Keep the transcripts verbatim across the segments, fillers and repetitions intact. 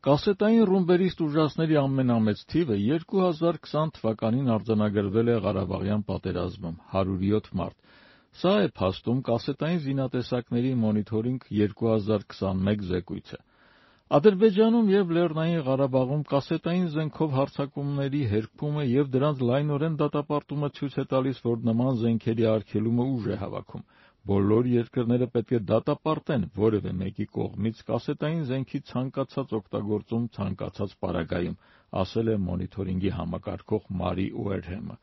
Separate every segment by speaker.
Speaker 1: Կասետային ռումբերից տուժածների ամենամեծ թիվը երկու հազար քսան թվականին արձանագրվել է Ղարաբաղյան պատերազմում՝ հարյուր յոթ մարդ։ Սա է փաստում կասետային զինատեսակների մոնիթորինգ երկու հազար քսանմեկ զեկույցը։ Ադրբեջանում և Լեռնային Ղարաբաղում կասետային զենքով հարձակումների հերքումը և դրանց լայնորեն դատապարտումը ցույց է տալիս, որ նման զենքերի արգելումը ուժ է հավաքում։ Բոլոր երկրները պետք է դատապարտեն որևէ մեկի կողմից կասետային զենքի ցանկացած օգտագործում ցանկացած պարագայում, ասել է մոնիթորինգի համակարգող Մարի Ուերհեմը։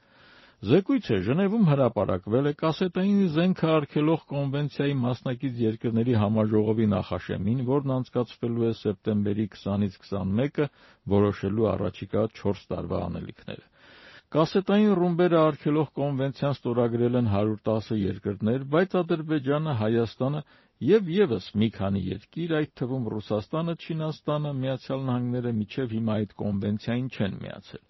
Speaker 1: Զեկույցը Ժնևում հրապարակվել է կասետային զենքը արգելող կոնվենցիայի մասնակից երկրների համաժողովի նախաշեմին, որն անցկացվելու է սեպտեմբերի քսանից քսանմեկը՝ որոշելու առաջիկա չորս տարվա անելիքները։ Կասետային ռումբերը արգելող կոնվենցիան ստորագրել են հարյուր տասը երկրներ, բայց Ադրբեջանը, Հայաստանը և ևս մի քանի երկիր, այդ թվում Ռուսաստանը, Չինաստանը, Միացյալ Նահանգները մինչև հիմա այդ կոնվենցիային չեն միացել։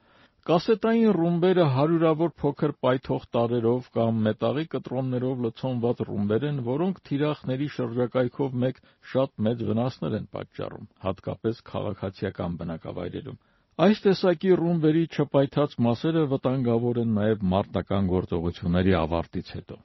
Speaker 1: Կասետային ռումբերը հարյուրավոր փոքր պայթող տարրերով կամ մետաղի կտրոններով լցոնված ռումբեր են, որոնք թիրախների շրջակայքով մեկ շատ մեծ վնասներ են պատճառում, հատկապես քաղաքացիական բնակավայրերում։ Այս տեսակի ռումբերի չպայթած մասերը վտանգավոր են նաև մարտական գործողությունների ավարտից հետո։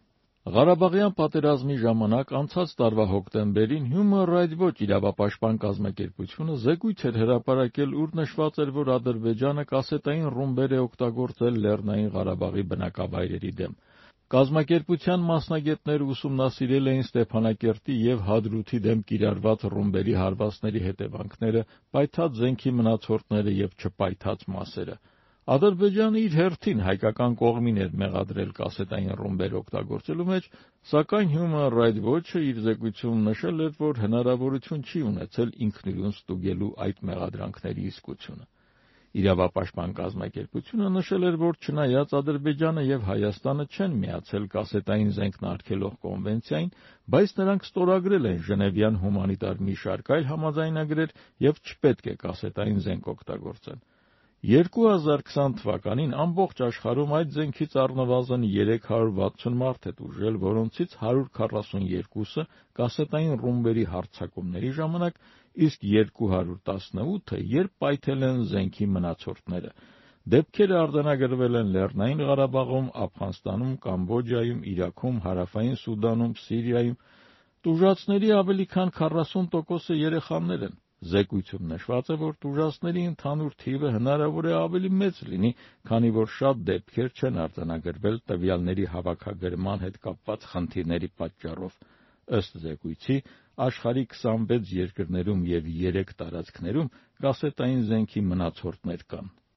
Speaker 1: Ղարաբաղյան պատերազմի ժամանակ անցած տարվա հոկտեմբերին Human Rights Watch իրավապաշտպան կազմակերպությունը զեկույց էր հրապարակել, ուր նշված էր, որ Ադրբեջանը կասետային ռումբեր է օգտագործել Լեռնային Ղարաբաղի բնակավայրերի դեմ։ Կազմակերպության մասնագետները ուսումնասիրել էին Ստեփանակերտի և Հադրութի դեմ կիրառված ռումբերի հարվածների հետևանքները, պայթած զենքի մնացորդները և չպայթած մասերը։ Ադրբեջանը իր հերթին հայկական կողմին էր մեղադրել կասետային ռումբեր օգտագործելու մեջ, սակայն Human Rights Watch-ը իր զեկույցում նշել էր, որ հնարավորություն չի ունեցել ինքնուրույն ստուգելու այդ մեղադրանքների իսկությունը։ Իրավապաշտպան կազմակերպությունը նշել էր, որ չնայած Ադրբեջանը և Հայաստանը չեն միացել կասետային զենքն արգելող կոնվենցիային, բայց նրանք ստորագրել են Ժնևյան հումանիտար մի շարք այլ համաձայնագրեր և չպետք է կասետային զենք օգտագործեն։ երկու հազար քսան թվականին ամբողջ աշխարհում այդ զենքից առնվազն երեք հարյուր վաթսուն մարդ է տուժել, որոնցից հարյուր քառասունյոթը կասետային ռումբերի հարձակումների ժամանակ, իսկ երկու հարյուր տասնութը, երբ պայթել են զենքի մնացորդները։ Դեպքերը արձանագրվել են Լեռնային Ղարաբաղում, Աֆղանստանում, Կամբոջայում, Իրաքում, Հարավային Սուդանում, Սիրիայում։ Տուժածների ավելի քան քառասուն տոկոսը երեխաներ են։ Զեկույցում նշված է, որ տուժածների ընդհանուր թիվը հնարավոր է ավելի մեծ լինի, քանի որ շատ դեպքեր չեն արձանագրվել տվյալների հավաքագրման հետ կապված խնդիրների պատճառով։ Ըստ զեկույցի, աշխարհի քսանվեց երկրներում և երեք տարածքներում կասետային զենքի մնացորդներ կան։